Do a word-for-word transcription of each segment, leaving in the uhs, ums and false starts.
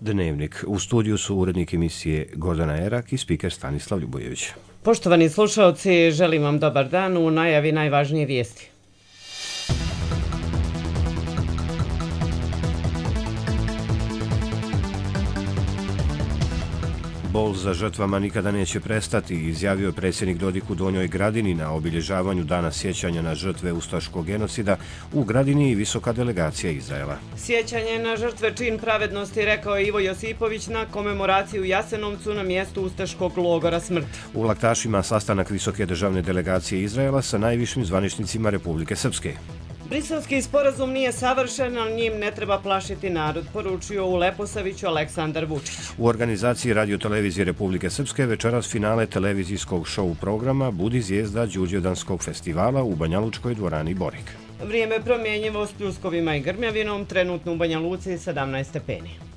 Dnevnik. U studiju su urednik emisije Gordana Erak i spiker Stanislav Ljubojević. Poštovani slušalci, želim vam dobar dan. U najavi najvažnije vijesti. Bol za žrtvama nikada neće prestati, izjavio je predsjednik Dodik u Donjoj Gradini na obilježavanju Dana sjećanja na žrtve ustaškog genocida u Gradini i visoka delegacija Izraela. Sjećanje na žrtve čin pravednosti, rekao je Ivo Josipović na komemoraciju u Jasenovcu na mjestu ustaškog logora smrti. U Laktašima sastanak visoke državne delegacije Izraela sa najvišim zvaničnicima Republike Srpske. Briselski sporazum nije savršen, ali njim ne treba plašiti narod, poručio u Leposaviću Aleksandar Vučić. U organizaciji Radio-televizije Republike Srpske večeras finale televizijskog show programa Budi zvijezda Đurđevdanskog festivala u Banjalučkoj dvorani Borik. Vrijeme promjenjivo s pljuskovima i grmljavinom, trenutno u Banja Luci sedamnaest stepeni.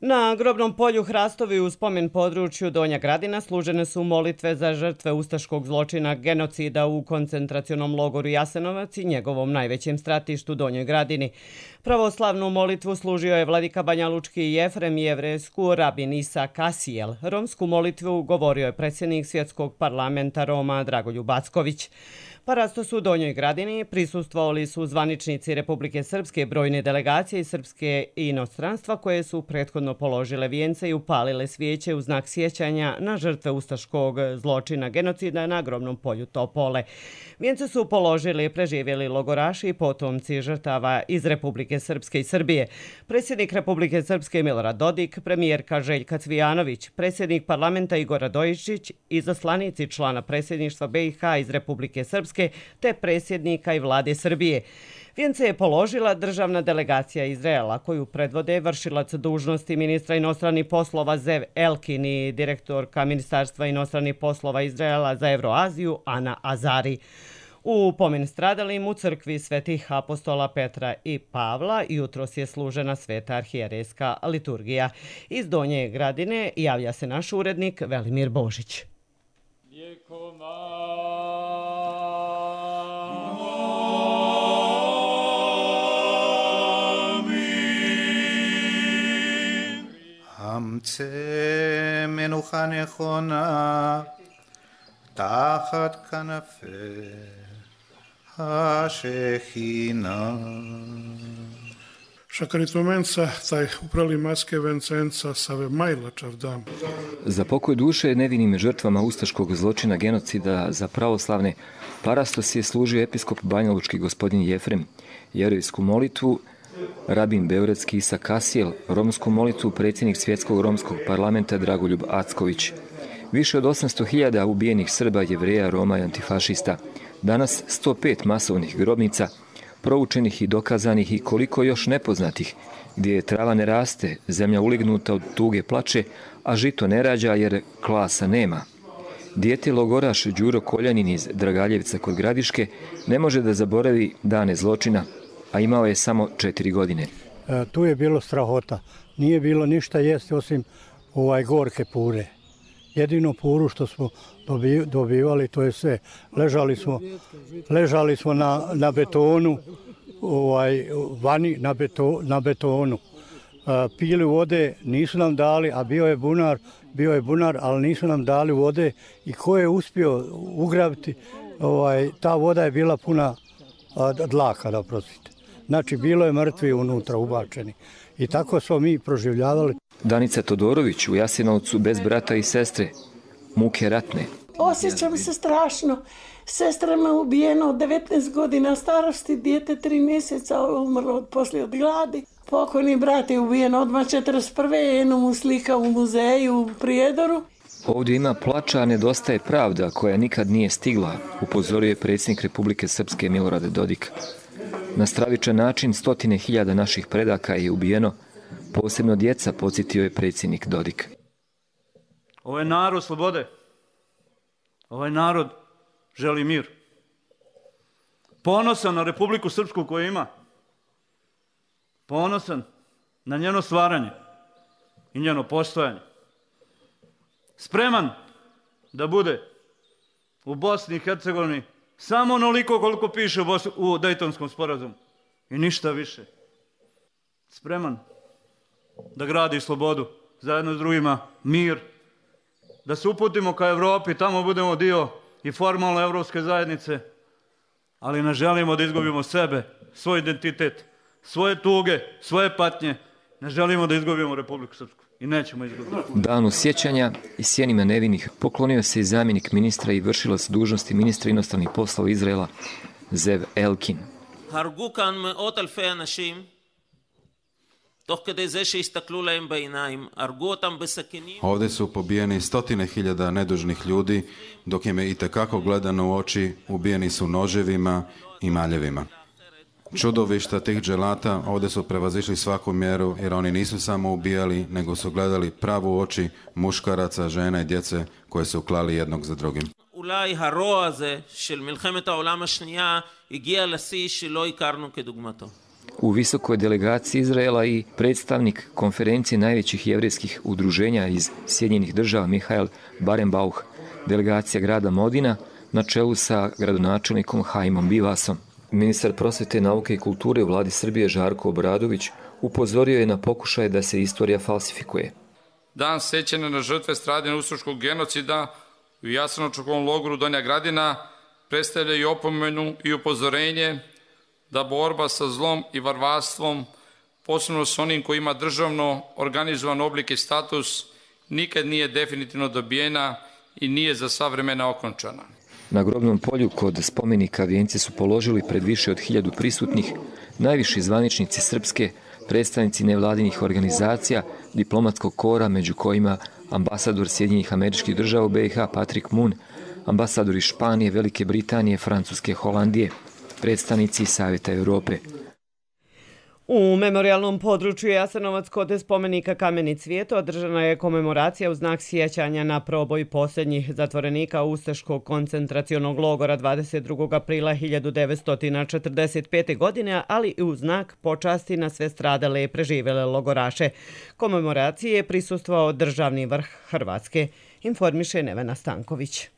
Na grobnom polju Hrastovi u spomen području Donja Gradina služene su molitve za žrtve ustaškog zločina genocida u koncentracionom logoru Jasenovac i njegovom najvećem stratištu Donjoj Gradini. Pravoslavnu molitvu služio je vladika banjalučki Jefrem, jevrejsku rabin Isa Kasijel. Romsku molitvu govorio je predsjednik Svjetskog parlamenta Roma Dragoljub Acković. Parasto su u Donjoj Gradini prisustvovali su zvaničnici Republike Srpske, brojne delegacije iz Srpske i inostranstva koje su prethodno položile vijence i upalile svijeće u znak sjećanja na žrtve ustaškog zločina genocida na grobnom polju Topole. Vijence su položili preživjeli logoraši i potomci žrtava iz Republike Srpske i Srbije. Predsjednik Republike Srpske Milorad Dodik, premijerka Željka Cvijanović, predsjednik parlamenta Igor Radojičić, izaslanici člana predsjedništva B i H iz Republike Srpske te predsjednika i vlade Srbije. Vijence je položila državna delegacija Izraela, koju predvode vršilac dužnosti ministra inostranih poslova Zev Elkin i direktorka Ministarstva inostranih poslova Izraela za Evroaziju Ana Azari. U pomen stradalim u crkvi svetih apostola Petra i Pavla jutros je služena sveta arhijerejska liturgija. Iz Donje Gradine javlja se naš urednik Velimir Božić. אמצא מנוחה נכונה תחת כנפי השכינה. Šakaritomenca, taj uprali maske vencenca save majla čavdam. Za pokoj duše nevinim žrtvama ustaškog zločina genocida za pravoslavne parastos je služio episkop banjalučki gospodin Jefrem, jevrejsku molitvu rabin beogradski Isa Kasijel, romsku molitvu predsjednik Svjetskog romskog parlamenta Dragoljub Acković. Više od osamsto hiljada ubijenih Srba, Jevreja, Roma i antifašista. Danas sto pet masovnih grobnica, proučenih i dokazanih i koliko još nepoznatih, gdje trava ne raste, zemlja ulignuta od tuge plače, a žito ne rađa jer klasa nema. Dijete logoraš Đuro Koljanin iz Dragaljevca kod Gradiške ne može da zaboravi dane zločina, a imao je samo četiri godine. E, tu je bilo strahota. Nije bilo ništa jesti osim ovaj gorke pure. Jedino puru što smo dobivali, to je sve. Ležali smo, ležali smo na, na betonu, ovaj, vani na, beto, na betonu. E, pili vode, nisu nam dali, a bio je bunar, bio je bunar, ali nisu nam dali vode. I ko je uspio ugrabiti, ovaj, ta voda je bila puna a, dlaka, da prostite. Znači, bilo je mrtvi unutra ubačeni. I tako smo mi proživljavali. Danica Todorović u Jasenovcu bez brata i sestre. Muke ratne. Osjećam se strašno. Sestra me ubijena od devetnaest godina starosti, dijete tri mjeseca umrlo od poslije od gladi. Pokojni brat je ubijen odmah četrdeset prve Jedno mu slika u muzeju u Prijedoru. Ovdje ima plača, a nedostaje pravda koja nikad nije stigla, upozorio je predsjednik Republike Srpske Milorad Dodik. Na stravičan način stotine hiljada naših predaka je ubijeno, posebno djeca, podsjetio je predsjednik Dodik. Ovo je narod slobode. Ovaj narod želi mir. Ponosan na Republiku Srpsku koju ima. Ponosan na njeno stvaranje i njeno postojanje. Spreman da bude u Bosni i Hercegovini samo onoliko koliko piše u Dejtonskom sporazumu. i ništa više. Spreman da gradi slobodu, zajedno s drugima mir, da se uputimo ka Evropi, tamo budemo dio i formalno evropske zajednice, ali ne želimo da izgubimo sebe, svoj identitet, svoje tuge, svoje patnje. Ne želimo da izgubimo Republiku Srpsku i nećemo izgubiti. Danu sjećanja i sjenima nevinih poklonio se i zamjenik ministra i vršilac dužnosti ministra inostranih poslova Izraela, Zev Elkin. הרגו כאן מאות אלפי אנשים, תוך כדי זה שהסתכלו להם בעיניים, הרגו אותם בסכינים. Ovdje su pobijeni stotine hiljada nedužnih ljudi, dok im je itekako gledano u oči, ubijeni su noževima i maljevima. Čudovišta tih dželata ovdje su prevazišli svaku mjeru, jer oni nisu samo ubijali, nego su gledali pravu u oči muškaraca, žena i djece koje su klali jednog za drugim. אולי הרוע הזה של מלחמת העולם השנייה הגיע לשיא שלא הכרנו כדוגמתו. U visokoj delegaciji Izraela i predstavnik konferencije najvećih jevrijskih udruženja iz Sjedinjenih država Mihael Barenbauch, delegacija grada Modina na čelu sa gradonačelnikom Haimom Bivasom. Ministar prosvete, nauke i kulture u vladi Srbije Žarko Obradović upozorio je na pokušaje da se istorija falsifikuje. Dan sećanja na žrtve stradanja ustaškog genocida u Jasenovačkom logoru Donja Gradina predstavlja i opomenu i upozorenje da borba sa zlom i varvarstvom, posebno s onim koji ima državno organizovan oblik i status, nikad nije definitivno dobijena i nije za sva vremena okončana. Na grobnom polju kod spomenika vijenci su položili pred više od hiljadu prisutnih najviši zvaničnici srpske, predstavnici nevladinih organizacija, diplomatskog kora, među kojima ambasador Sjedinjenih Američkih Država u B i H Patrick Moon, ambasador iz Španije, Velike Britanije, Francuske, Holandije, predstavnici Savjeta Europe. U memorialnom području Jasenovac kod spomenika Kameni cvijet održana je komemoracija u znak sjećanja na proboj posljednjih zatvorenika Ustaškog koncentracionog logora dvadeset drugog aprila hiljadu devetsto četrdeset pete. godine, ali i u znak počasti na sve stradale i preživele logoraše. Komemoraciji je prisustvovao državni vrh Hrvatske, informiše Nevena Stanković.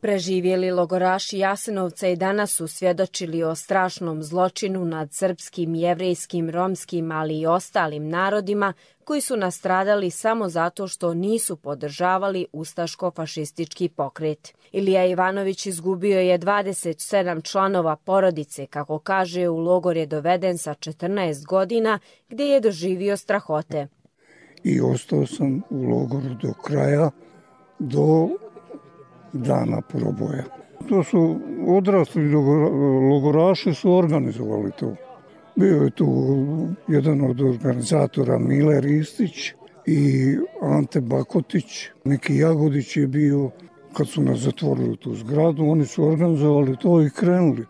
Preživjeli logoraši Jasenovca i danas su svjedočili o strašnom zločinu nad srpskim, jevrejskim, romskim, ali i ostalim narodima koji su nastradali samo zato što nisu podržavali ustaško-fašistički pokret. Ilija Ivanović izgubio je dvadeset sedam članova porodice, kako kaže, u logor je doveden sa četrnaest godina, gdje je doživio strahote. I ostao sam u logoru do kraja, do dana proboja. To su odrasli logoraši su organizovali to. Bio je tu jedan od organizatora Mile Ristić i Ante Bakotić. Neki Jagodić je bio, kad su nas zatvorili u tu zgradu, oni su organizovali to i krenuli.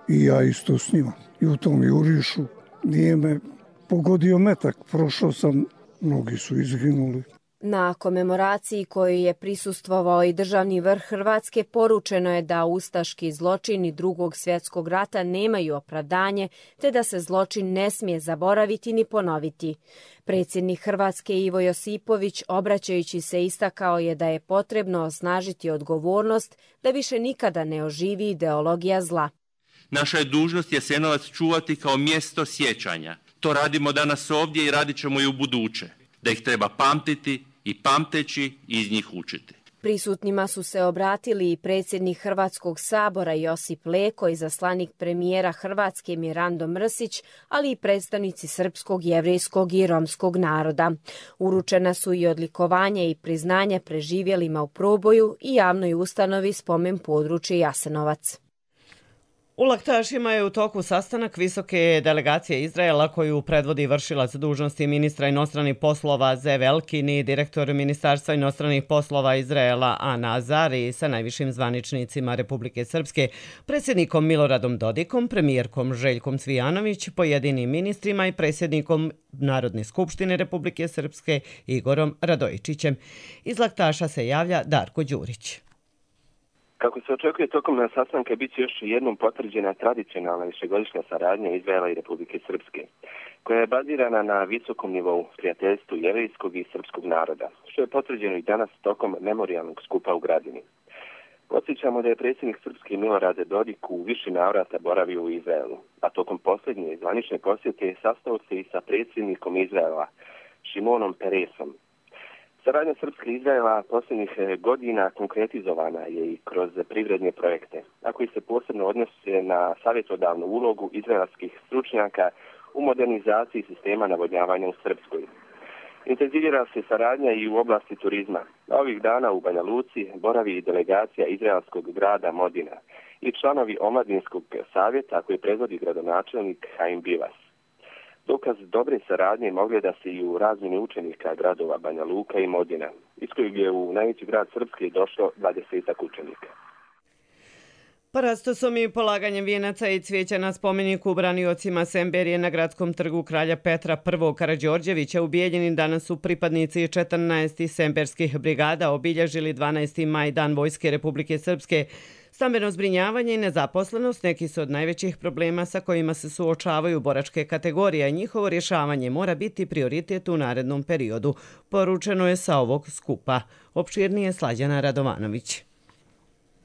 I ja isto s njima. I u tom jurišu nije me pogodio metak. Prošao sam, mnogi su izginuli. Na komemoraciji koju je prisustvovao i državni vrh Hrvatske poručeno je da ustaški zločini Drugog svjetskog rata nemaju opravdanje, te da se zločin ne smije zaboraviti ni ponoviti. Predsjednik Hrvatske Ivo Josipović, obraćajući se, istakao je da je potrebno osnažiti odgovornost da više nikada ne oživi ideologija zla. Naša je dužnost Jasenovac čuvati kao mjesto sjećanja. To radimo danas ovdje i radit ćemo i u buduće. Da ih treba pamtiti i pamteći iz njih učiti. Prisutnima su se obratili i predsjednik Hrvatskog sabora Josip Leko, izaslanik premijera Hrvatske Mirando Mrsić, ali i predstavnici srpskog, jevrejskog i romskog naroda. Uručena su i odlikovanje i priznanje preživjelima u proboju i javnoj ustanovi Spomen područje Jasenovac. U Laktašima je u toku sastanak visoke delegacije Izraela koju predvodi vršilac dužnosti ministra inostranih poslova Zev Elkin i direktor Ministarstva inostranih poslova Izraela Ana Azari sa najvišim zvaničnicima Republike Srpske, predsjednikom Miloradom Dodikom, premijerkom Željkom Cvijanović, pojedinim ministrima i predsjednikom Narodne skupštine Republike Srpske Igorom Radojičićem. Iz Laktaša se javlja Darko Đurić. Kako se očekuje, tokom na sastanka bit će još jednom potvrđena tradicionalna višegodišnja saradnja Izraela i Republike Srpske, koja je bazirana na visokom nivou prijateljstvu jevrejskog i srpskog naroda, što je potvrđeno i danas tokom memorijalnog skupa u Gradini. Podsjećamo da je predsjednik Srpske Milorad Dodik u više navrata boravio u Izraelu, a tokom posljednje zvanične posjete sastao se i sa predsjednikom Izraela, Šimonom Peresom. Saradnja Srpske i Izraela posljednjih godina konkretizovana je i kroz privredne projekte, a koji se posebno odnose na savjetodavnu ulogu izraelskih stručnjaka u modernizaciji sistema navodnjavanja u Srpskoj. Intenzivira se saradnja i u oblasti turizma. Ovih dana u Banja Luci boravi delegacija izraelskog grada Modina i članovi omladinskog savjeta koji predvodi gradonačelnik Haim Bivas. Dokaz dobre saradnje mogle da se i u razmjeni učenika gradova Banja Luka i Modina, iz kojeg je u najveći grad Srpske došlo dvadesetak učenika. Parastosom i polaganjem vijenaca i cvijeća na spomeniku braniocima Semberije na gradskom trgu kralja Petra I. Karađorđevića u Bijeljini danas su pripadnici četrnaest semberskih brigada obilježili dvanaesti maj, Dan Vojske Republike Srpske. Stambeno zbrinjavanje i nezaposlenost neki su od najvećih problema sa kojima se suočavaju boračke kategorije, a njihovo rješavanje mora biti prioritet u narednom periodu, poručeno je sa ovog skupa. Opširnije Slađana Radovanović.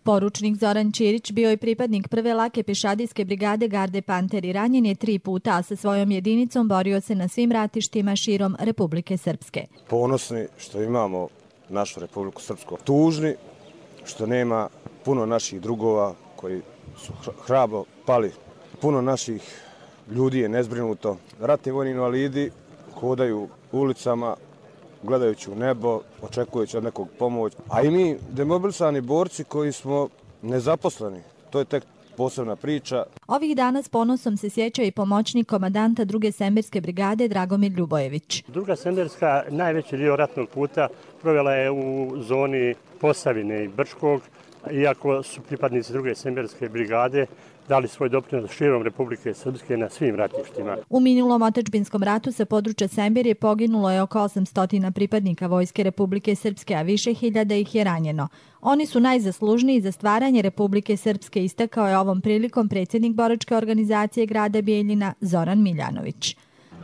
Poručnik Zoran Ćirić bio je pripadnik prve lake pešadijske brigade Garde Panter i ranjen je tri puta, a sa svojom jedinicom borio se na svim ratištima širom Republike Srpske. Ponosni što imamo našu Republiku Srpsku. Tužni što nema puno naših drugova koji su hrabro pali. Puno naših ljudi je nezbrinuto. Ratni vojni invalidi hodaju ulicama, gledajući u nebo, očekujući od nekog pomoć. A i mi, demobilisani borci koji smo nezaposleni, to je tek posebna priča. Ovih dana s ponosom se sjeća i pomoćnik komandanta druge semberske brigade Dragomir Ljubojević. Druga semberska najveći dio ratnog puta provela je u zoni Posavine i Brčkog, iako su pripadnici druge semberske brigade dali svoj doprinos širom Republike Srpske na svim ratištima. U minulom otadžbinskom ratu sa područja Semberije poginulo je oko osamsto pripadnika Vojske Republike Srpske, a više hiljada ih je ranjeno. Oni su najzaslužniji za stvaranje Republike Srpske, istakao je ovom prilikom predsjednik boračke organizacije grada Bijeljina Zoran Miljanović.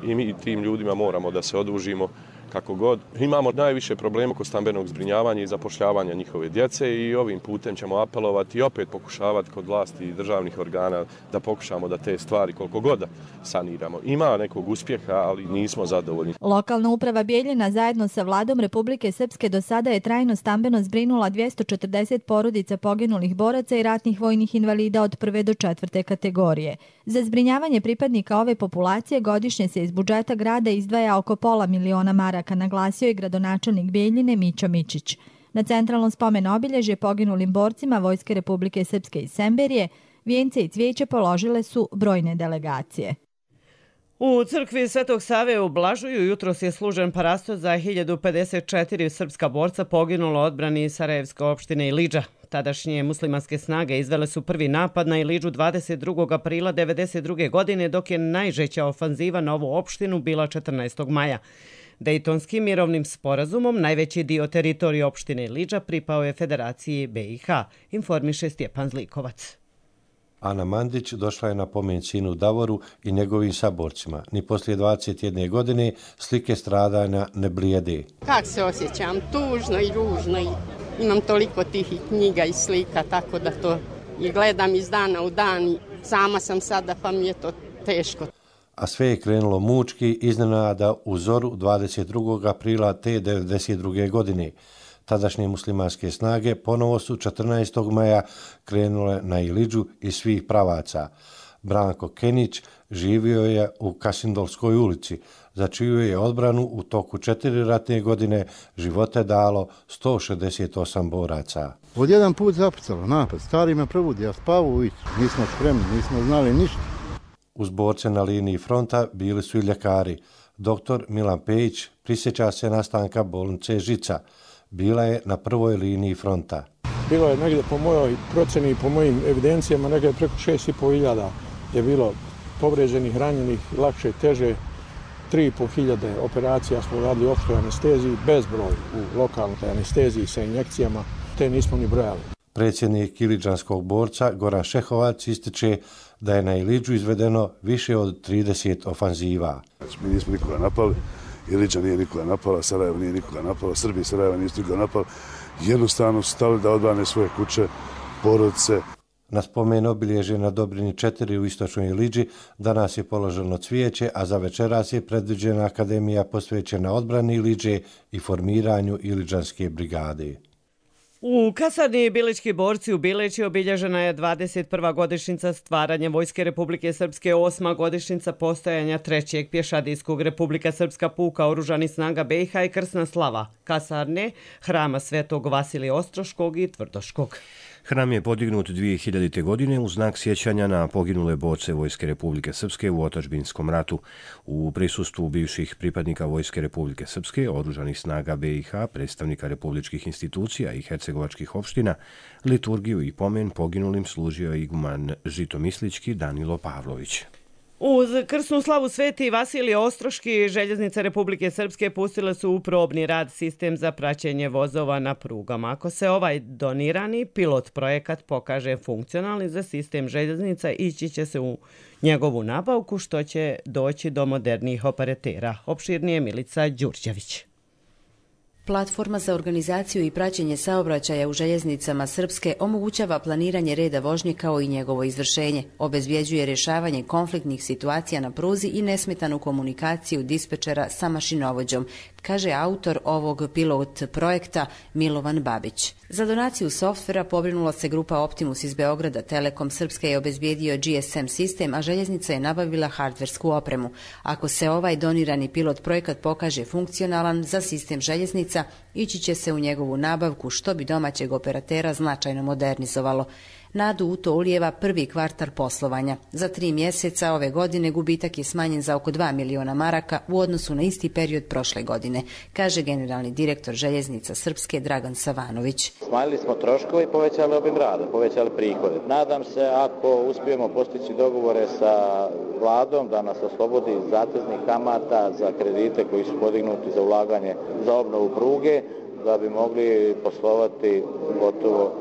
I mi tim ljudima moramo da se odužimo kako god. Imamo najviše problema kod stambenog zbrinjavanja i zapošljavanja njihove djece i ovim putem ćemo apelovati i opet pokušavati kod vlasti i državnih organa da pokušamo da te stvari koliko god saniramo. Ima nekog uspjeha, ali nismo zadovoljni. Lokalna uprava Bijeljina zajedno sa vladom Republike Srpske do sada je trajno stambeno zbrinula dvjesto četrdeset porodica poginulih boraca i ratnih vojnih invalida od prve do četvrte kategorije. Za zbrinjavanje pripadnika ove populacije godišnje se iz budžeta grada izdvaja oko pola miliona maraka, naglasio je gradonačelnik Bijeljine Mićo Mičić. Na centralnom spomen obilježje poginulim borcima Vojske Republike Srpske iz Semberije vijence i cvijeće položile su brojne delegacije. U crkvi Svetog Save u Blažuju jutros je služen parastos za hiljadu pedeset četiri srpska borca poginulo odbrani Sarajevske opštine Ilidža. Tadašnje muslimanske snage izvele su prvi napad na Ilidžu dvadeset drugog aprila devedeset druge godine, dok je najžešća ofanziva na ovu opštinu bila četrnaestog maja. Dejtonskim mirovnim sporazumom najveći dio teritorije opštine Ilidža pripao je Federaciji B i H, informiše Stjepan Zlikovac. Ana Mandić došla je na pomen sinu Davoru i njegovim saborcima. Ni poslije dvadeset jedne godine slike stradanja ne blijede. Kako se osjećam? Tužno i ružno. I imam toliko tih knjiga i slika, tako da to i gledam iz dana u dan. Sama sam sada, pa mi je to teško. A sve je krenulo mučki iznenada u zoru dvadeset drugog aprila te devedeset druge godine. Tadašnje muslimanske snage ponovo su četrnaestog maja krenule na Ilidžu iz svih pravaca. Branko Kenić živio je u Kasindolskoj ulici, za čiju je odbranu u toku četiri ratne godine živote dalo sto šezdeset osam boraca. Od jedan put zapucalo napad, stari me probudi, ja spavu uvić, nismo spremni, nismo znali ništa. Uz borce na liniji fronta bili su i ljekari. Doktor Milan Pejić prisjeća se nastanka bolnice Žica. Bila je na prvoj liniji fronta. Bilo je negdje po mojoj proceni i po mojim evidencijama negdje preko šest i pol hiljada je bilo povređenih, ranjenih, lakše, teže. tri i pol hiljade operacija smo radili u opštoj anesteziji, bezbroj u lokalnoj anesteziji sa injekcijama, te nismo ni brojali. Predsjednik iliđanskog borca Goran Šehovac ističe da je na Ilidžu izvedeno više od trideset ofanziva. Mi nismo nikoga napali Iliđa nije nikoga napala, Sarajevo nije nikoga napala, Srbi i Sarajeva nisu nikoga napala. Jednostavno su stali da odbrane svoje kuće, porodice. Na spomen obilježje na Dobrini četiri u istočnoj Iliđi danas je položeno cvijeće, a za večeras je predviđena akademija posvećena odbrani Iliđe i formiranju Iliđanske brigade. U kasarni Bilički borci u Bileći obilježena je dvadeset prva godišnjica stvaranja Vojske Republike Srpske, osma godišnjica postojanja trećeg pješadijskog Republika Srpska puka oružanih snaga B i H i krsna slava kasarne, hrama Svetog Vasilija Ostroškog i Tvrdoškog. Hram je podignut dvije hiljadite. godine u znak sjećanja na poginule borce Vojske Republike Srpske u otadžbinskom ratu. U prisustvu bivših pripadnika Vojske Republike Srpske, oružanih snaga B i H, predstavnika republičkih institucija i hercegovačkih opština, liturgiju i pomen poginulim služio iguman žitomislički Danilo Pavlović. Uz krsnu slavu Sveti Vasilije Ostroški, Željeznice Republike Srpske pustile su u probni rad sistem za praćenje vozova na prugama. Ako se ovaj donirani pilot projekat pokaže funkcionalni za sistem željeznica, ići će se u njegovu nabavku, što će doći do modernijih operatera. Opširnije Milica Đurđević. Platforma za organizaciju i praćenje saobraćaja u željeznicama Srpske omogućava planiranje reda vožnje kao i njegovo izvršenje, obezbjeđuje rješavanje konfliktnih situacija na pruzi i nesmetanu komunikaciju dispečera sa mašinovođom, kaže autor ovog pilot projekta Milovan Babić. Za donaciju softvera pobrinula se grupa Optimus iz Beograda, Telekom Srpske je obezbijedio G S M sistem, a željeznica je nabavila hardversku opremu. Ako se ovaj donirani pilot projekat pokaže funkcionalan za sistem željeznica, ići će se u njegovu nabavku, što bi domaćeg operatera značajno modernizovalo. Nadu u to ulijeva prvi kvartal poslovanja. Za tri mjeseca ove godine gubitak je smanjen za oko dva miliona maraka u odnosu na isti period prošle godine, kaže generalni direktor Željeznica Srpske Dragan Savanović. Smanjili smo troškove i povećali obim rada, povećali prihode. Nadam se ako uspijemo postići dogovore sa vladom da nas oslobodi zateznih kamata za kredite koji su podignuti za ulaganje za obnovu pruge, da bi mogli poslovati gotovo,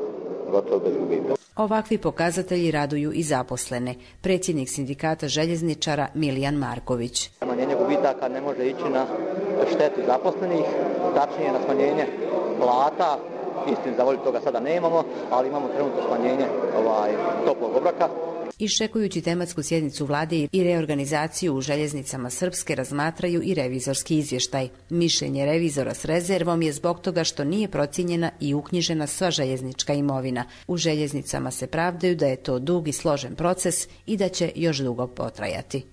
gotovo bez gubitaka. Ovakvi pokazatelji raduju i zaposlene. Predsjednik sindikata željezničara Milijan Marković. Smanjenje gubitaka ne može ići na štetu zaposlenih, tačnije na smanjenje plata. Istini za volju toga sada nemamo, ali imamo trenutno smanjenje ovaj, toplog obroka. Iščekujući tematsku sjednicu vlade i reorganizaciju u željeznicama Srpske razmatraju i revizorski izvještaj. Mišljenje revizora s rezervom je zbog toga što nije procijenjena i uknjižena sva željeznička imovina. U željeznicama se pravdaju da je to dug i složen proces i da će još dugo potrajati.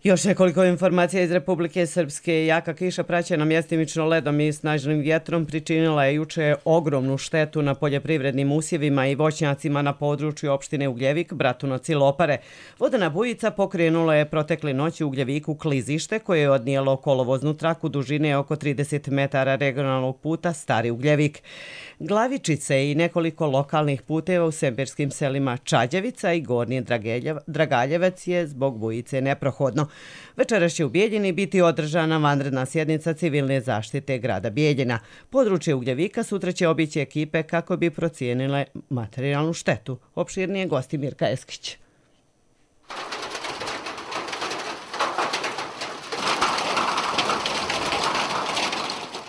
Još nekoliko informacija iz Republike Srpske. Jaka kiša praćena mjestimično ledom i snažnim vjetrom pričinila je juče ogromnu štetu na poljoprivrednim usjevima i voćnjacima na području opštine Ugljevik, Bratunac i Lopare. Vodena bujica pokrenula je protekle noći u Ugljeviku klizište koje je odnijelo kolovoznu traku dužine oko trideset metara regionalnog puta Stari Ugljevik. Glavičice i nekoliko lokalnih puteva u semberskim selima Čađevica i Gornji Dragaljevac je zbog bujice neprohodno. Večeras će u Bijeljini biti održana vanredna sjednica civilne zaštite grada Bijeljina. Područje Ugljevika sutra će obići ekipe kako bi procijenile materijalnu štetu. Opširnije gosti Mirka Eskić.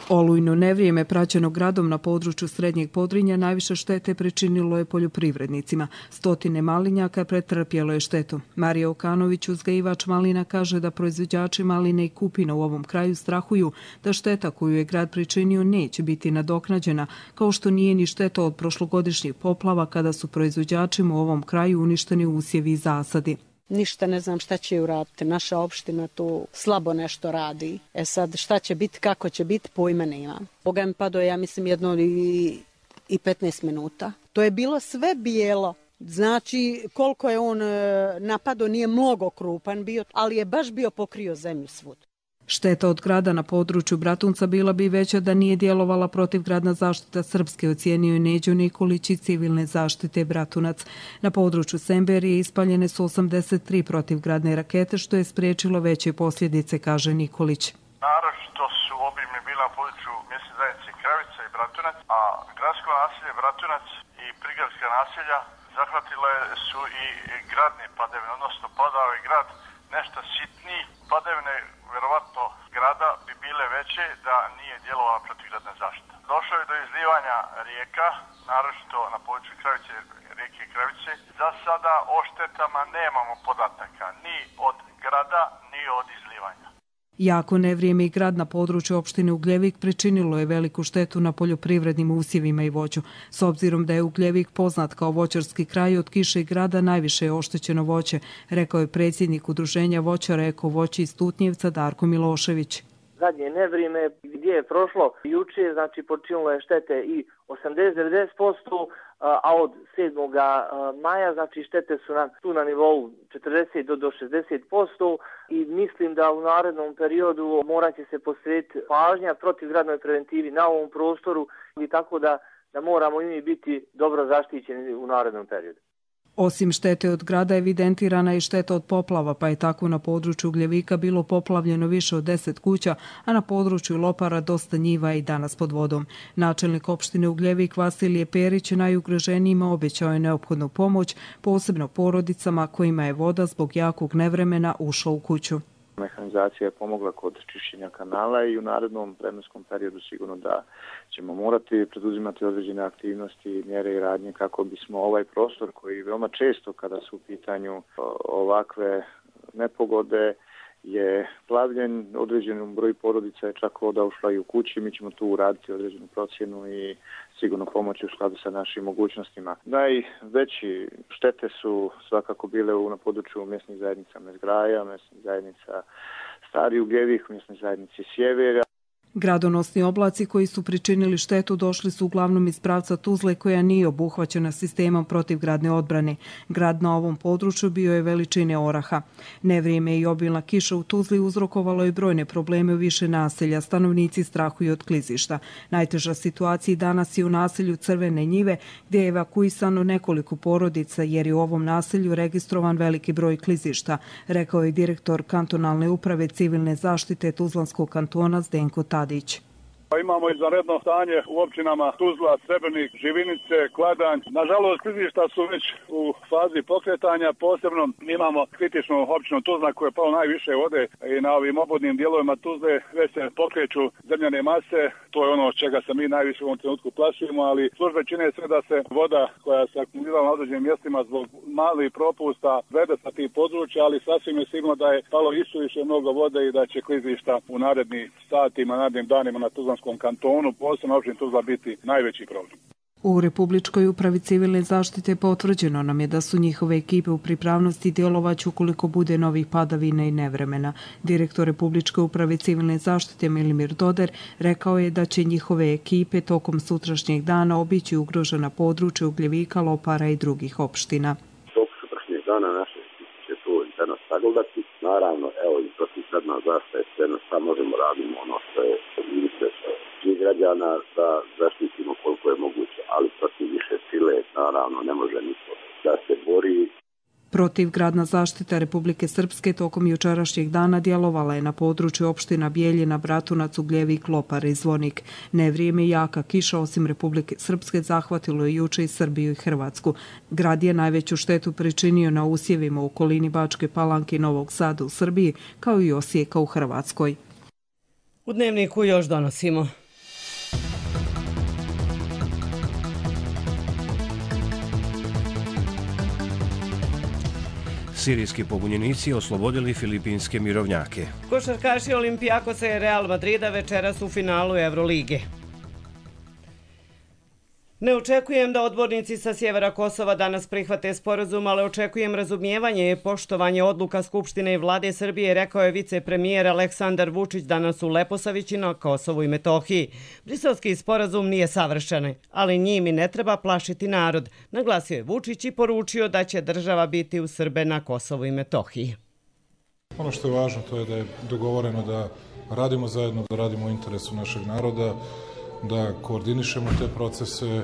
Olujno nevrijeme praćeno gradom na području Srednjeg Podrinja najviše štete pričinilo je poljoprivrednicima. Stotine malinjaka pretrpjelo je štetu. Marija Okanović, uzgajivač malina, kaže da proizvođači maline i kupina u ovom kraju strahuju da šteta koju je grad pričinio neće biti nadoknađena, kao što nije ni šteta od prošlogodišnjih poplava kada su proizvođačima u ovom kraju uništeni usjevi i zasadi. Ništa ne znam šta će uraditi. Naša opština tu slabo nešto radi. E sad šta će biti, kako će biti, pojma nemam. Boga mi padao, ja mislim, jedno i, i petnaest minuta. To je bilo sve bijelo. Znači, koliko je on napadao, nije mnogo krupan bio, ali je baš bio pokrio zemlju svud. Šteta od grada na području Bratunca bila bi veća da nije djelovala protivgradna zaštita Srpske, ocijenio je Neđo Nikolić iz civilne zaštite Bratunac. Na području Semberije ispaljene su osamdeset tri protivgradne rakete, što je spriječilo veće posljedice, kaže Nikolić. Naročito su obimne bila na području mjesne zajednice Kravica i Bratunac, a gradsko naselje Bratunac i prigradska naselja zahvatile su i gradne padavine, odnosno padao je grad nešto sitniji padavine, verovatno grad grada bi bile veće da nije djelovala protivgradna zaštita. Došlo je do izlivanja rijeka, naročito na području Kravice, rijeke Kravice. Za sada o štetama nemamo podataka ni od grada, ni od izlivanja. Jako nevrijeme i grad na području opštine Ugljevik pričinilo je veliku štetu na poljoprivrednim usjevima i voću. S obzirom da je Ugljevik poznat kao voćarski kraj, od kiše i grada najviše je oštećeno voće, rekao je predsjednik udruženja voćara Eko voće iz Tutnjevca Darko Milošević. Zadnje nevrijeme gdje je prošlo juče, znači počinilo je štete i osamdeset do devedeset posto, a od sedmog maja znači štete su nam tu na nivou četrdeset do šezdeset posto i mislim da u narednom periodu morat će se posvetiti pažnja protivgradnoj preventivi na ovom prostoru i tako da, da moramo i mi biti dobro zaštićeni u narednom periodu. Osim štete od grada evidentirana je šteta od poplava, pa je tako na području Ugljevika bilo poplavljeno više od deset kuća, a na području Lopara dosta njiva i danas pod vodom. Načelnik opštine Ugljevik Vasilije Perić najugroženijima obećao je neophodnu pomoć, posebno porodicama kojima je voda zbog jakog nevremena ušla u kuću. Mehanizacija je pomogla kod čišćenja kanala i u narednom vremenskom periodu sigurno da ćemo morati preduzimati određene aktivnosti, mjere i radnje kako bismo ovaj prostor koji veoma često kada su u pitanju ovakve nepogode je plavljen, određenom broju porodica je čak voda ušla i u kući, mi ćemo tu uraditi određenu procjenu i sigurno pomoći u skladu sa našim mogućnostima. Najveći štete su svakako bile na području mjesnih zajednica Mezgraja, mjesnih zajednica Stari Ugljevik, mjesnih zajednici Sjevera. Gradonosni oblaci koji su pričinili štetu došli su uglavnom iz pravca Tuzle koja nije obuhvaćena sistemom protivgradne odbrane. Grad na ovom području bio je veličine oraha. Nevrijeme i obilna kiša u Tuzli uzrokovalo je brojne probleme u više naselja. Stanovnici strahuju od klizišta. Najteža situacija danas je u naselju Crvene njive gdje je evakuisano nekoliko porodica jer je u ovom naselju registrovan veliki broj klizišta, rekao je direktor kantonalne uprave civilne zaštite Tuzlanskog kantona Zdenko Tadić. Imamo izvanredno stanje u općinama Tuzla, Srebrnik, Živinice, Kladanj. Nažalost, klizišta su već u fazi pokretanja. Posebno imamo kritičnu općinu Tuzla koja je palo najviše vode i na ovim obodnim dijelovima Tuzle već se pokreću zemljane mase. To je ono od čega se mi najviše u ovom trenutku plašimo, ali službe čine sve da se voda koja se akumulirala na određenim mjestima zbog malih propusta vede sa tih područja, ali sasvim je sigurno da je palo isuviše mnogo vode i da će klizišta u narednim satima, narednim danima na Tuzlanskom kantonu, posebno općini Tuzla biti najveći problem. U Republičkoj upravi civilne zaštite potvrđeno nam je da su njihove ekipe u pripravnosti djelovać ukoliko bude novih padavina i nevremena. Direktor Republičke uprave civilne zaštite Milimir Doder rekao je da će njihove ekipe tokom sutrašnjeg dana obići ugrožena područja Ugljevika, Lopara i drugih opština. Tokom sutrašnjeg dana naše ekipe će to interno sagledati. Naravno, evo i protivgradna zaštita je sve, šta možemo radimo ono što je interes svih građana da zaštitimo koliko je moguće, ali protiv više sile naravno ne može niko da se bori. Protivgradna zaštita Republike Srpske tokom jučerašnjeg dana djelovala je na području opština Bijeljina, Bratunac, Ugljevik, Lopar i Zvonik. Nevrijeme i jaka kiša osim Republike Srpske zahvatilo je juče i Srbiju i Hrvatsku. Grad je najveću štetu pričinio na usjevima u okolini Bačke Palanke i Novog Sada u Srbiji, kao i Osijeka u Hrvatskoj. U Dnevniku još donosimo. Sirijski pobunjenici oslobodili filipinske mirovnjake. Košarkaši Olimpijakosa i Real Madrida večeras u finalu Evrolige. Ne očekujem da odbornici sa sjevera Kosova danas prihvate sporazum, ali očekujem razumijevanje i poštovanje odluka Skupštine i vlade Srbije, rekao je vicepremijer Aleksandar Vučić danas u Leposavići na Kosovu i Metohiji. Briselski sporazum nije savršen, ali njim i ne treba plašiti narod, naglasio je Vučić i poručio da će država biti uz Srbe na Kosovu i Metohiji. Ono što je važno to je da je dogovoreno da radimo zajedno, da radimo u interesu našeg naroda, da koordinišemo te procese,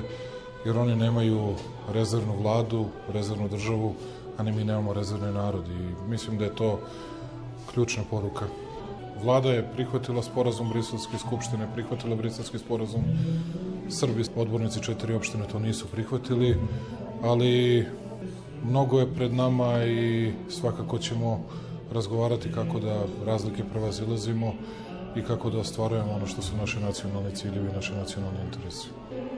jer oni nemaju rezervnu vladu, rezervnu državu, a ni mi nemamo rezervni narod. I mislim da je to ključna poruka. Vlada je prihvatila sporazum Briselske skupštine, prihvatila Briselski sporazum. Srbi, odbornici četiri opštine to nisu prihvatili, ali mnogo je pred nama i svakako ćemo razgovarati kako da razlike prevazilazimo i kako da ostvarujemo ono što su naše nacionalni ciljevi i naše nacionalni interesi.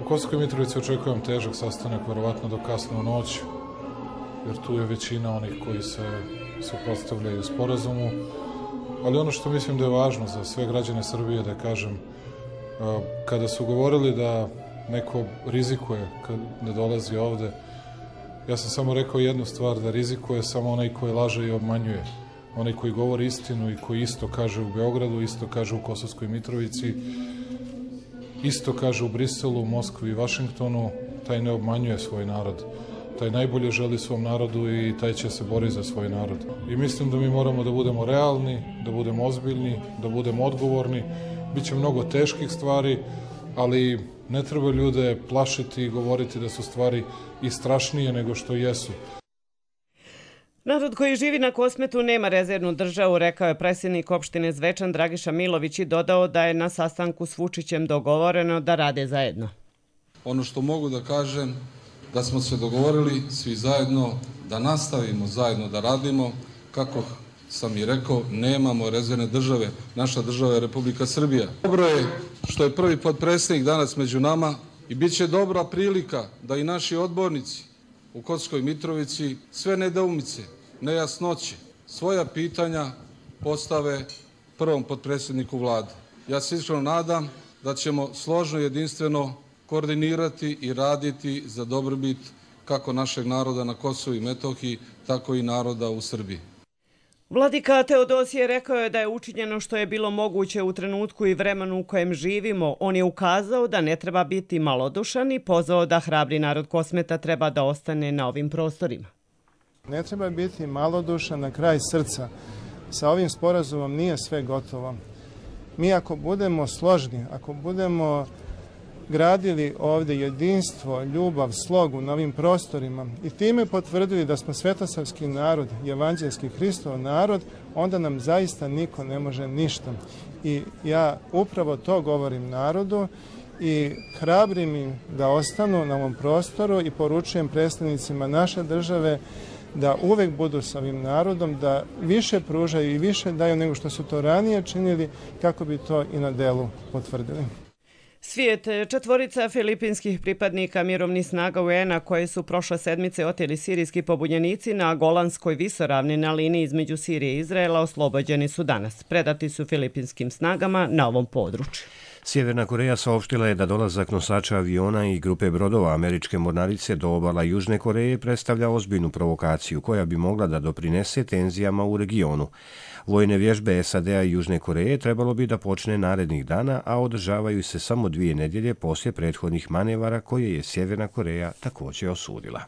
U Kosovskoj Mitrovici očekujem težak sastanak, verovatno do kasno u noć, jer tu je većina onih koji se suprotstavljaju sporazumu, ali ono što mislim da je važno za sve građane Srbije da kažem, kada su govorili da neko rizikuje kad ne dolazi ovde, ja sam samo rekao jednu stvar, da rizikuje samo onaj koji laže i obmanjuje. Onaj koji govori istinu i koji isto kaže u Beogradu, isto kaže u Kosovskoj Mitrovici, isto kaže u Briselu, u Moskvi i Vašingtonu, taj ne obmanjuje svoj narod. Taj najbolje želi svom narodu i taj će se boriti za svoj narod. I mislim da mi moramo da budemo realni, da budemo ozbiljni, da budemo odgovorni. Biće mnogo teških stvari, ali ne treba ljude plašiti i govoriti da su stvari i strašnije nego što jesu. Narod koji živi na Kosmetu nema rezervnu državu, rekao je predsjednik opštine Zvečan Dragiša Milović i dodao da je na sastanku s Vučićem dogovoreno da rade zajedno. Ono što mogu da kažem, da smo se dogovorili svi zajedno da nastavimo zajedno da radimo, kako sam i rekao, nemamo rezervne države, naša država je Republika Srbija. Dobro je što je prvi potpredsjednik danas među nama i bit će dobra prilika da i naši odbornici u Kosovskoj Mitrovici sve nedoumice, nejasnoće, svoja pitanja postave prvom potpredsjedniku vlade. Ja se iskreno nadam da ćemo složno i jedinstveno koordinirati i raditi za dobrobit kako našeg naroda na Kosovu i Metohiji, tako i naroda u Srbiji. Vladika Teodosije rekao je da je učinjeno što je bilo moguće u trenutku i vremenu u kojem živimo. On je ukazao da ne treba biti malodušan i pozvao da hrabri narod Kosmeta treba da ostane na ovim prostorima. Ne treba biti malodušan na kraj srca. Sa ovim sporazumom nije sve gotovo. Mi ako budemo složni, ako budemo gradili ovdje jedinstvo, ljubav, slogu na ovim prostorima i time potvrdili da smo svetosavski narod, evanđelski Hristov narod, onda nam zaista niko ne može ništa. I ja upravo to govorim narodu i hrabrim im da ostanu na ovom prostoru i poručujem predstavnicima naše države da uvek budu sa ovim narodom, da više pružaju i više daju nego što su to ranije činili, kako bi to i na delu potvrdili. Svijet, četvorica filipinskih pripadnika mirovnih snaga U N-a koje su prošle sedmice oteli sirijski pobunjenici na Golanskoj visoravni na liniji između Sirije i Izraela oslobođeni su danas. Predati su filipinskim snagama na ovom području. Sjeverna Koreja saopštila je da dolazak nosača aviona i grupe brodova američke mornarice do obala Južne Koreje predstavlja ozbiljnu provokaciju koja bi mogla da doprinese tenzijama u regionu. Vojne vježbe S A D-a i Južne Koreje trebalo bi da počne narednih dana, a održavaju se samo dvije nedjelje poslije prethodnih manevara koje je Sjeverna Koreja također osudila.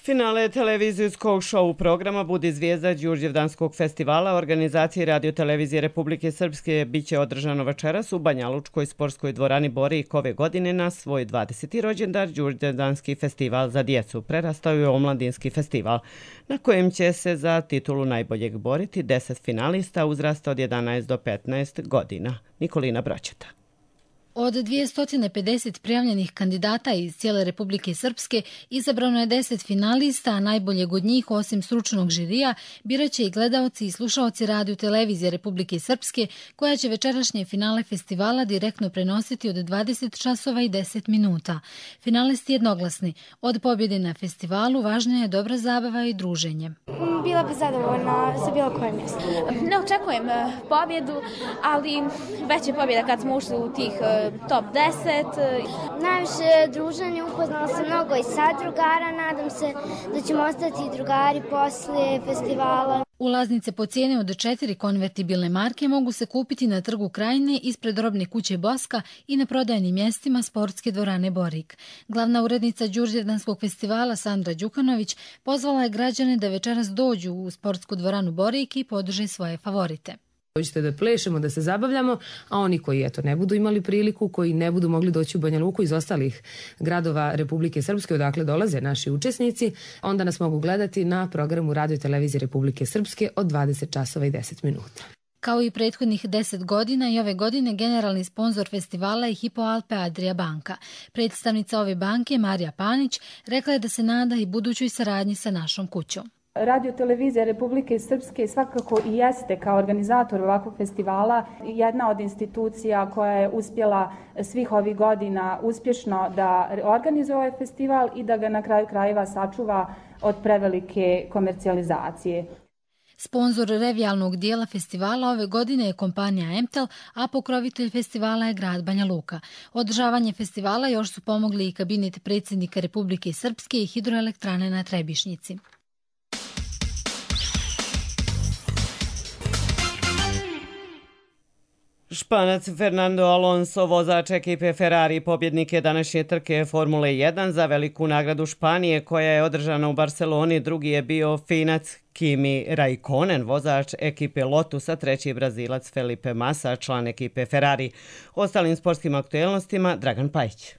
Finale televizijskog šou programa Budi zvijezda Đurđevdanskog festivala organizacije Radio Televizije Republike Srpske biće održano večeras u Banja Lučkoj sportskoj dvorani Borik ove godine na svoj dvadeseti rođendan. Đurđevdanski festival za djecu prerastao je omladinski festival na kojem će se za titulu najboljeg boriti deset finalista uzrasta od jedanaest do petnaest godina. Nikolina Broćeta. Od dvjesto pedeset prijavljenih kandidata iz cijele Republike Srpske izabrano je deset finalista, a najboljeg od njih, osim stručnog žirija, biraće i gledaoci i slušaoci Radio Televizije Republike Srpske, koja će večerašnje finale festivala direktno prenositi od dvadeset časova i deset minuta. Finalisti jednoglasni. Od pobjede na festivalu važna je dobra zabava i druženje. Bila bi zadovoljna sa bilo kojim mjestom. Ne očekujem pobjedu, ali već je pobjeda kad smo ušli u tih top deset. Najviše druženje, upoznala sam mnogo i sad drugara, nadam se da ćemo ostati drugari poslije festivala. Ulaznice po cijene od četiri konvertibilne marke mogu se kupiti na Trgu Krajine ispred robne kuće Boska i na prodajnim mjestima sportske dvorane Borik. Glavna urednica Đurđevdanskog festivala Sandra Đukanović pozvala je građane da večeras dođu u sportsku dvoranu Borik i podrže svoje favorite. Dođite da plešemo, da se zabavljamo, a oni koji eto ne budu imali priliku, koji ne budu mogli doći u Banja Luku iz ostalih gradova Republike Srpske, odakle dolaze naši učesnici, onda nas mogu gledati na programu Radio Televizije Republike Srpske od dvadeset časova i deset minuta. Kao i prethodnih deset godina i ove godine generalni sponzor festivala je Hypo Alpe Adria banka. Predstavnica ove banke, Marija Panić, rekla je da se nada i budućoj saradnji sa našom kućom. Radio televizija Republike Srpske svakako i jeste kao organizator ovakvog festivala jedna od institucija koja je uspjela svih ovih godina uspješno da organizuje ovaj festival i da ga na kraju krajeva sačuva od prevelike komercijalizacije. Sponzor revijalnog dijela festivala ove godine je kompanija Emtel, a pokrovitelj festivala je grad Banja Luka. Održavanje festivala još su pomogli i kabinet predsjednika Republike Srpske i hidroelektrane na Trebišnjici. Španac Fernando Alonso, vozač ekipe Ferrari, pobjednik je današnje trke Formule jedan za veliku nagradu Španije koja je održana u Barceloni. Drugi je bio Finac Kimi Raikkonen, vozač ekipe Lotus, a treći Brazilac Felipe Massa, član ekipe Ferrari. Ostalim sportskim aktuelnostima Dragan Pajić.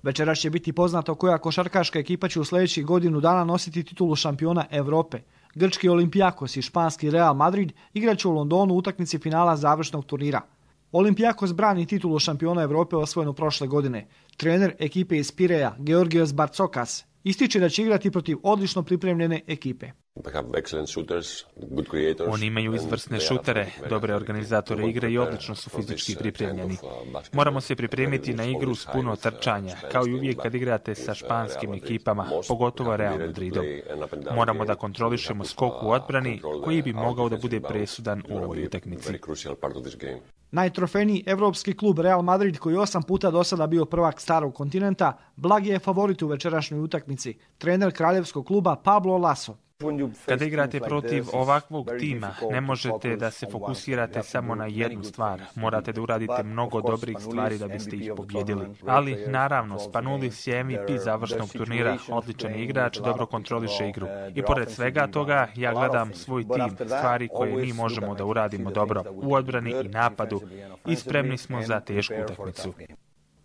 Večeras će biti poznato koja košarkaška ekipa će u sljedećih godinu dana nositi titulu šampiona Evrope. Grčki Olympiakos i španski Real Madrid igraće u Londonu u utakmici finala završnog turnira. Olympiakos brani titulu šampiona Evrope osvojenu prošle godine. Trener ekipe iz Pireja, Georgios Bartzokas, ističe da će igrati protiv odlično pripremljene ekipe. Oni imaju izvrsne šutere, dobre organizatore igre i odlično su fizički pripremljeni. Moramo se pripremiti na igru s puno trčanja, kao i uvijek kad igrate sa španskim ekipama, pogotovo Real Madridom. Moramo da kontrolišemo skok u odbrani, koji bi mogao da bude presudan u ovoj utakmici. Najtrofejniji evropski klub Real Madrid, koji osam puta do sada bio prvak starog kontinenta, blagi je favorit u večerašnjoj utakmici. Trener kraljevskog kluba Pablo Lasso. Kada igrate protiv ovakvog tima, ne možete da se fokusirate samo na jednu stvar. Morate da uradite mnogo dobrih stvari da biste ih pobjedili. Ali, naravno, Spanoulis je M V P završnog turnira, odličan igrač, dobro kontroliše igru. I pored svega toga, ja gledam svoj tim, stvari koje mi možemo da uradimo dobro u odbrani i napadu i spremni smo za tešku utakmicu.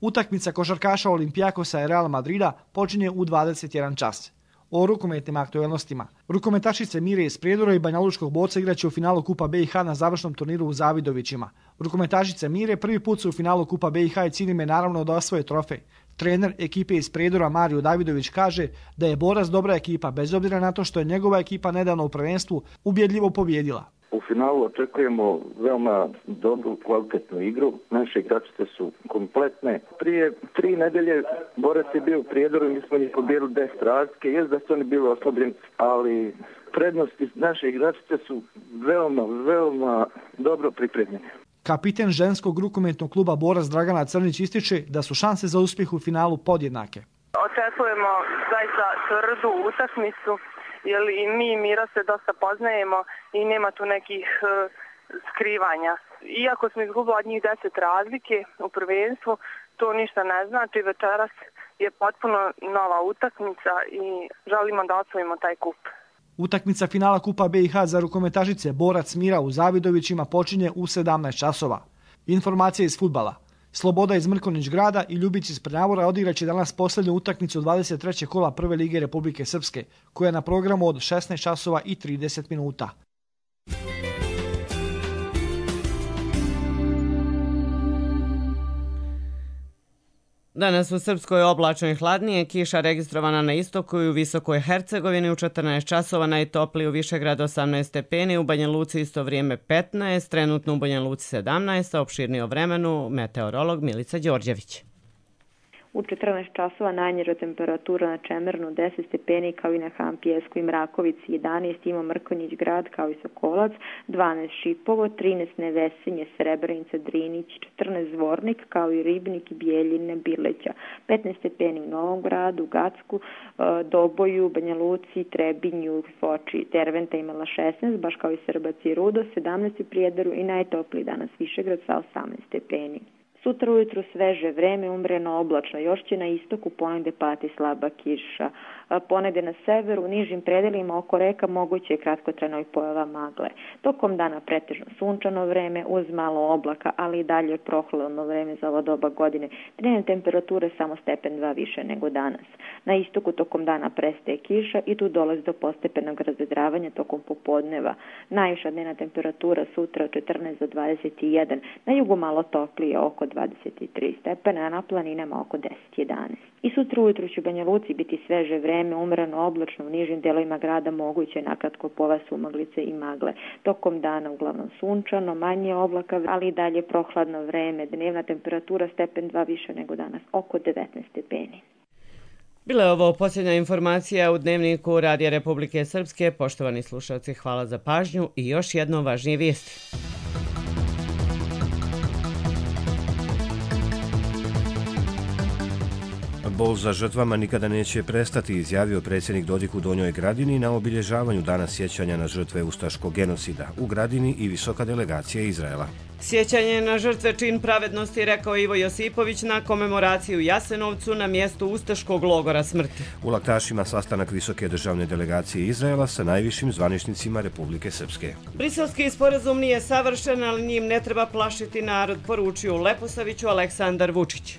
Utakmica košarkaša Olympiakosa i Real Madrida počinje u dvadeset jedan čas. O rukometnim aktuelnostima. Rukometašice Mire iz Prijedora i banjalučkog boca igraće u finalu Kupa B i H na završnom turniru u Zavidovićima. Rukometašice Mire prvi put su u finalu Kupa B i H i cilj im je naravno da osvoje trofej. Trener ekipe iz Prijedora Mario Davidović kaže da je Borac dobra ekipa, bez obzira na to što je njegova ekipa nedavno u prvenstvu ubjedljivo pobjedila. U finalu očekujemo veoma dobru, kvalitetnu igru. Naše igračice su kompletne. Prije tri nedelje Borac je bio u Prijedoru i mi smo njih pobjedili deset razlike. Jest da su oni bili oslabljeni, ali prednosti naše igračice su veoma, veoma dobro pripremljene. Kapiten ženskog rukometnog kluba Borac Dragana Crnić ističe da su šanse za uspjeh u finalu podjednake. Očekujemo zaista tvrdu utakmicu, jer i mi i Mira se dosta poznajemo i nema tu nekih uh, skrivanja. Iako smo izgubili od njih deset razlike u prvenstvu, to ništa ne znači. Večeras je potpuno nova utakmica i želimo da osvojimo taj kup. Utakmica finala Kupa B i H za rukometašice Borac Mira u Zavidovićima počinje u sedamnaest časova. Informacije iz fudbala. Sloboda iz Mrkonić grada i Ljubić iz Prnjavora odigraće danas posljednju utakmicu dvadeset trećeg kola Prve lige Republike Srpske, koja je na programu od šesnaest časova i trideset minuta. Danas u Srpskoj oblačno i hladnije, kiša registrovana na istoku i u Visokoj Hercegovini u četrnaest časova, najtopliji u Višegradu osamnaest stepeni, u Banja Luci isto vrijeme petnaest, trenutno u Banja Luci sedamnaest, a opširnije o vremenu meteorolog Milica Đorđević. U četrnaest časova najniža temperatura na Čemernu deset stepeni, kao i na Han Pijesku i Mrakovici, jedanaest ima Mrkonjić grad kao i Sokolac, dvanaest Šipovo, trinaest Nevesinje, Srebrenica, Drinić, četrnaest Zvornik kao i Ribnik i Bijeljine, Bileća, petnaest stepeni u Novom gradu, Gacku, Doboju, Banja Luci, Trebinju, Foči, Derventa imala šesnaest, baš kao i Srbac i Rudo, sedamnaest u Prijedoru i najtopliji danas Višegrad sa osamnaest stepeni. Sutra ujutru sveže vreme, umreno oblačno, još će na istoku ponegde pati slaba kiša. Ponegde na severu, u nižim predelima oko reka moguće je kratkotrajno i pojava magle. Tokom dana pretežno sunčano vreme uz malo oblaka, ali i dalje prohladno vreme za ovo doba godine. Dnevne temperature samo stepen dva više nego danas. Na istoku tokom dana prestaje kiša i tu dolazi do postepenog razvedravanja tokom popodneva. Najviša dnevna temperatura sutra četrnaest do dvadeset jedan, na jugu malo toplije oko dvadeset tri stepena, a na planinama oko deset jedanaest. I sutra ujutru će u Banja Luci biti sveže vreme, vreme umrano oblačno, u nižim delovima grada moguće nakratko pova sumaglice i magle. Tokom dana uglavnom sunčano, manje oblaka, ali i dalje prohladno vreme. Dnevna temperatura stepen dva više nego danas, oko devetnaest stepeni. Bila je ovo posljednja informacija u Dnevniku Radija Republike Srpske. Poštovani slušalci, hvala za pažnju i još jedno važnije vijesti. Bol za žrtvama nikada neće prestati, izjavio predsjednik Dodik u Donjoj Gradini na obilježavanju Dana sjećanja na žrtve ustaškog genocida u Gradini i visoka delegacija Izraela. Sjećanje na žrtve čin pravednosti, rekao Ivo Josipović na komemoraciju u Jasenovcu na mjestu ustaškog logora smrti. U Laktašima sastanak visoke državne delegacije Izraela sa najvišim zvaničnicima Republike Srpske. Briselski sporazum nije savršen, ali njim ne treba plašiti narod, poručio u Leposaviću Aleksandar Vučić.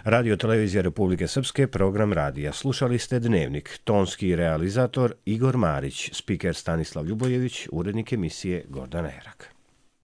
Radio Televizija Republike Srpske, program radija. Slušali ste Dnevnik. Tonski realizator Igor Marić, spiker Stanislav Ljubojević, urednik emisije Gordana Herak.